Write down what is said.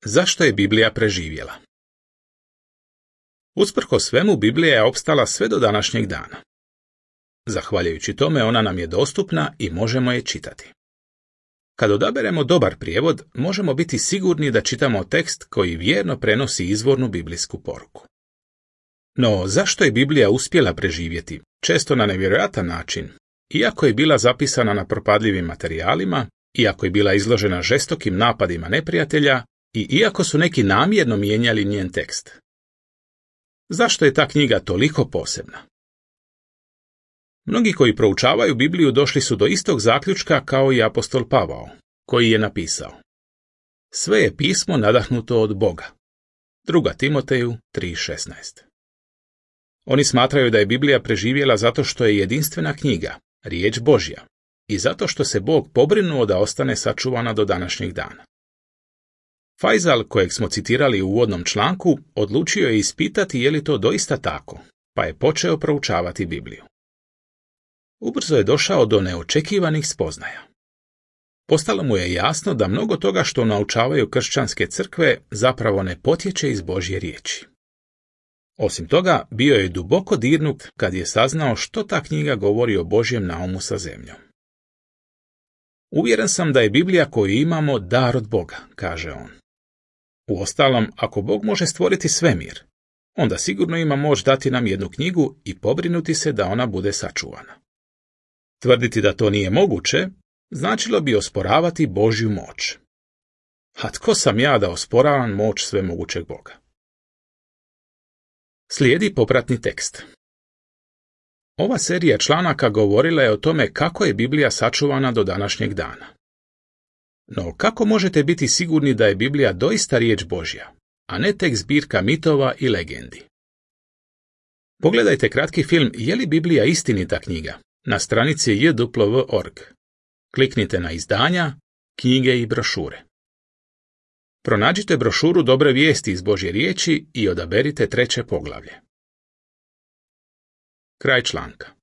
Zašto je Biblija preživjela? Usprkos svemu, Biblija je opstala sve do današnjeg dana. Zahvaljujući tome, ona nam je dostupna i možemo je čitati. Kad odaberemo dobar prijevod, možemo biti sigurni da čitamo tekst koji vjerno prenosi izvornu biblijsku poruku. No, zašto je Biblija uspjela preživjeti, često na nevjerojatan način, iako je bila zapisana na propadljivim materijalima, iako je bila izložena žestokim napadima neprijatelja i iako su neki namjerno mijenjali njen tekst? Zašto je ta knjiga toliko posebna? Mnogi koji proučavaju Bibliju došli su do istog zaključka kao i apostol Pavao, koji je napisao: sve je pismo nadahnuto od Boga. 2. Timoteju 3:16. Oni smatraju da je Biblija preživjela zato što je jedinstvena knjiga, riječ Božja, i zato što se Bog pobrinuo da ostane sačuvana do današnjeg dana. Faisal, kojeg smo citirali u uvodnom članku, odlučio je ispitati je li to doista tako, pa je počeo proučavati Bibliju. Ubrzo je došao do neočekivanih spoznaja. Postalo mu je jasno da mnogo toga što naučavaju kršćanske crkve zapravo ne potječe iz Božje riječi. Osim toga, bio je duboko dirnut kad je saznao što ta knjiga govori o Božjem naumu sa zemljom. Uvjeren sam da je Biblija koju imamo dar od Boga, kaže on. Uostalom, ako Bog može stvoriti svemir, onda sigurno ima moć dati nam jednu knjigu i pobrinuti se da ona bude sačuvana. Tvrditi da to nije moguće, značilo bi osporavati Božju moć. A tko sam ja da osporavam moć svemogućeg Boga? Slijedi popratni tekst. Ova serija članaka govorila je o tome kako je Biblija sačuvana do današnjeg dana. No, kako možete biti sigurni da je Biblija doista riječ Božja, a ne tek zbirka mitova i legendi? Pogledajte kratki film Je li Biblija istinita knjiga na stranici jw.org. Kliknite na izdanja, knjige i brošure. Pronađite brošuru Dobre vijesti iz Božje riječi i odaberite 3. poglavlje. Kraj članka.